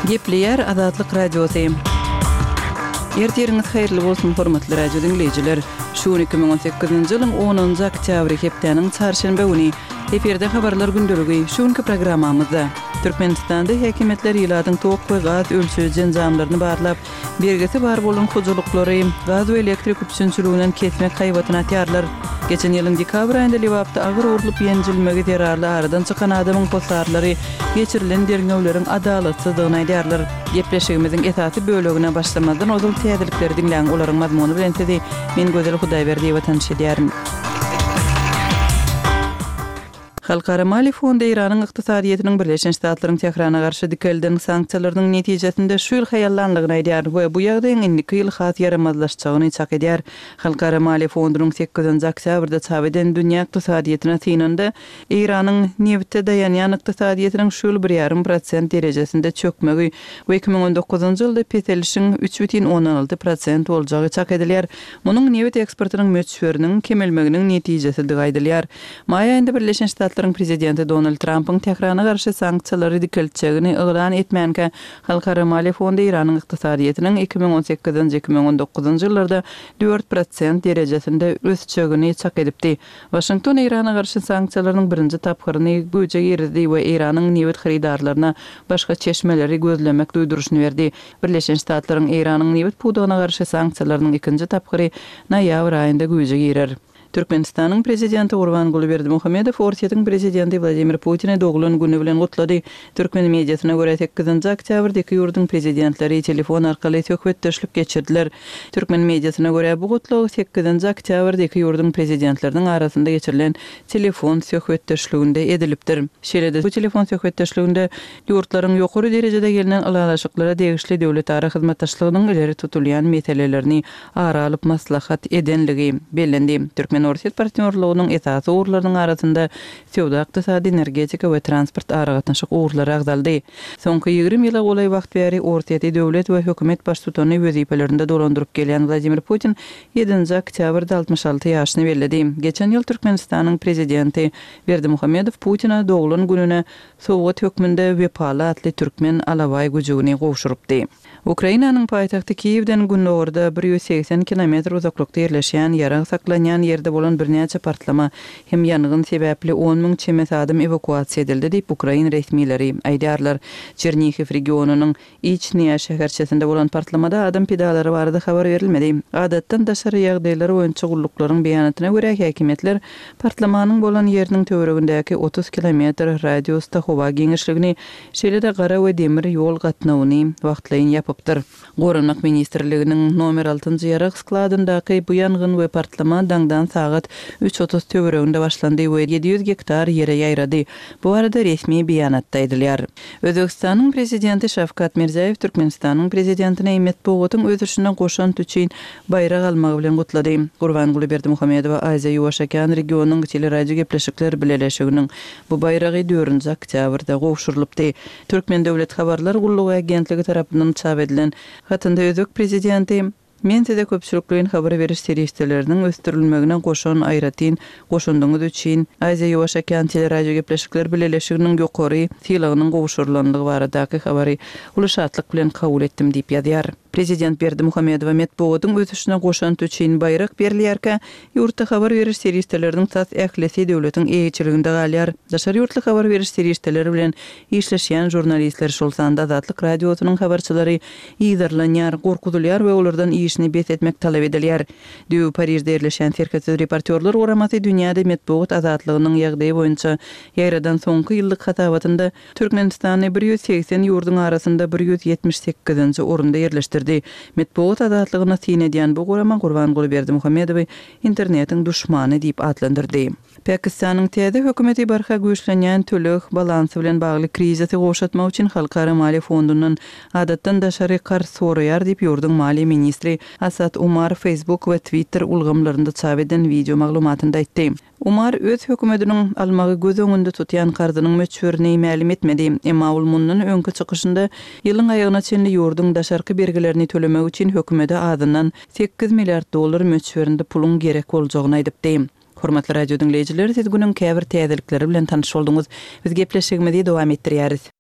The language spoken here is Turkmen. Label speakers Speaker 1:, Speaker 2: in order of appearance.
Speaker 1: Gepleýär Azatlyk Radiosy. Ertiriňiz haýyrly bolsun, hormatly radio diňleýjiler! Şu gün 2018-nji ýylyň onunjy oktýabry, hepdäniň çarşenbe güni. Efirde Habarlar gündeligi. Şu günki programmamyzda, Türkmenistanda häkimiýetler ilatyň tok we gaz ölçeýji enjamlaryny barlap, Bergisi bar bolan hojalyklary gaz we elektrik üpjünçiliginden kesmek haýbatyny atýarlar. Geçen ýylyň dekabr aýynda Lebapda agyr urlup ýenjilmegi zerarly aradan çykan adamyň hossarlary geçirilen derňewleriň adalatsyzdygyny aýdýarlar. Gepleşigimiziň esasy bölegine başlamazdan ozal täzelikleri diňläň, olaryň mazmuny bilen sizi men Gözel Hudaýberdiýewa tanyş edýärin. Halkara maliýe fondy Eýranyň ykdysadyýetiniň Birleşen Ştatlaryň Tährana garşy dikelden sanksiýalarynyň netijesinde şu ýyl haýallanlygyny aýdýar we bu ýagdaýyň indiki ýyl has ýaramazlaşjagyny çak edýär. Halkara maliýe fondunyň sekizinji oktýabrda çap eden dünýä ykdysadyýetine synynda Eýranyň nebite daýanýan ykdysadyýetiniň şu ýyl bir ýarym prosent derejesinde çökmegi we 2019-njy ýylda peselişiň 3,6 prosent boljagy çak edilýär. Munuň nebit eksportynyň möçberiniň kemelmeginiň netijesidigi aýdylýar. Maý aýynda Birleşen Ştatlaryň prezidenti Donald Trampyň Tährana garşy sanksiýalary dikeltjegini yglan etmänkä, Halkara maliýe fondy Eýranyň ykdysadyýetiniň 2018-nji, 2019-njy ýyllarda 4% derejesinde ösjegini çak edipdi. Waşington Eýrana garşy sanksiýalarynyň birinji tapgyryny güýje girizdi we Eýranyň nebit hyrydarlaryna başga çeşmeleri gözlemek duýduryşyny berdi. Birleşen Ştatlaryň Eýranyň nebit pudagyna garşy sanksiýalarynyň ikinji tapgyry noýabr aýynda güýje girer. Türkmenistanyň Prezidenti Gurbanguly Berdimuhamedow Orsýetiň Prezidenti Wladimir Putini doglan güni bilen gutlady. Türkmen mediasyna görä, sekizinji oktýabrda iki ýurduň Prezidentleri telefon arkaly söhbetdeşlik geçirdiler. Türkmen mediasyna görä, bu gutlag sekizinji oktýabrda iki ýurduň Prezidentleriniň arasynda geçirilen telefon söhbetdeşliginde edilipdir. Şeýle-de bu telefon söhbetdeşliginde Ýurtlaryň ýokary derejede gelnen ylalaşyklara degişli döwletara hyzmatdaşlygynyň ileri tutulýan meselelerini ara alyp maslahat edenligi bellendi. Türkmen-orsýet partnýorlygynyň esasy ugurlarynyň arasynda söwda-ykdysady, energetika we transport aragatnaşyk ugurlary agzaldy. Soňky 20 ýyla golaý wagt bäri Orsýeti döwlet we hökümet baştutany wezipelerinde dolandyryp gelýän Wladimir Putin ýedinji oktýabrda 66 ýaşyny belledi. Geçen ýyl Türkmenistanyň Prezidenti Berdimuhamedow Putine doglan gününe sowgat hökmünde Wepaly atly türkmen alabaý güjügini gowşurypdy. Ukrainanyň paýtagty Kiýewden gündogarda 180 kilometr uzaklykda ýerleşýän ýarag saklanýan ýerde bolan birnäçe partlama hem ýangyn sebäpli 10 müň çemesi adam ewakuasiýa edildi diýip, ukrain resmileri aýdýarlar. Çernihiw regionynyň Içnýa şäherçesinde bolan partlamada adam pidalary barada habar berilmedi. Adatdan daşary ýagdaýlar boýunça gulluklaryň beýanatyna görä, häkimiýetler partlamanyň bolan ýeriniň töweregindäki 30 kilometr radiusda howa giňişligini, şeýle-de gara we demir ýol gatnawyny wagtlaýyn ýapypdyr. Goranmak ministrliginiň nomer altynjy ýarag skladyndaky bu ýangyn we partlama daňdan sagat 3:30 töwereginde başlandy we 700 gektar ýere ýaýrady. Bu barada resmi beýanatda aýdylýar. Özbegistanyň Prezidenti Şawkat Mirziýoýew Türkmenistanyň Prezidentini metbugatyň ösüşine goşant üçin baýrak almagy bilen gutlady. Gurbanguly Berdimuhamedowa Aziýa-Ýuwaş okean regionynyň teleradiogepleşikler bileleşiginiň bu baýragy dördünji oktýabrda gowşurylypdy. Türkmen döwlet habarlar gullugy agentligi tarapyndan çap edilen hatynda özbek Prezidenti, Men size köpçülikleýin habar beriş serişdeleriniň ösdürilmegine goşan aýratyn goşandyňyz üçin Aziýa-Ýuwaş okean teleradiogepleşikler bileleşiginiň ýokary sylagynyň gowşurylandygy baradaky habary uly şatlyk bilen kabul etdim diýip ýazýar. Prezident Berdimuhamedowa metbugatyň ösüşine goşant üçin baýrak berilýärkä, ýurtda habar beriş serişdeleriniň tas ählisi döwletiň eýeçiliginde galýar. Daşary ýurtly habar beriş serişdeleri bilen işleşýän žurnalistler, şol sanda Azatlyk Radiosynyň habarçylary yzarlanýar, gorkuzylýar we olardan işini bes etmek talap edilýär. Düýbi Parižde ýerleşýän Serhetsiz reportýorlar guramasy dünýäde metbugat azatlygynyň ýagdaýy boýunça ýaýradan soňky ýyllyk hasabatynda Türkmenistany 180 ýurduň arasynda 178-nji orunda ýerleşdirdi. Metbugat azatlygyna syn edýän bu gurama Gurbanguly Berdimuhamedowy internetiň duşmany diýip atlandyrdy. Pakistanyň täze hökümeti barha güýçlenýän töleg balansy bilen bagly krizisi gowşatmak üçin Halkara maliýe fondundan adatdan daşary karz soraýar diýip, ýurduň maliýe ministri Asad Umar Facebook we Twitter ulgamlarynda çap eden wideo maglumatynda aýtdy. Umar öz hökümetiniň almagy göz öňünde tutýan karzynyň möçberini mälim etmedi. Emma ol mundan öňki çykyşynda ýylyň aýagyna çenli ýurduň daşarky bergilerini tölemek üçin hökümete azyndan 8 milliard dollar möçberinde puluň gerek boljagyny aýdypdy. Hormatly radio diňleýjiler, siz günüň käbir täzelikleri bilen tanyş bolduňyz. Biz gepleşigimizi dowam etdirýäris.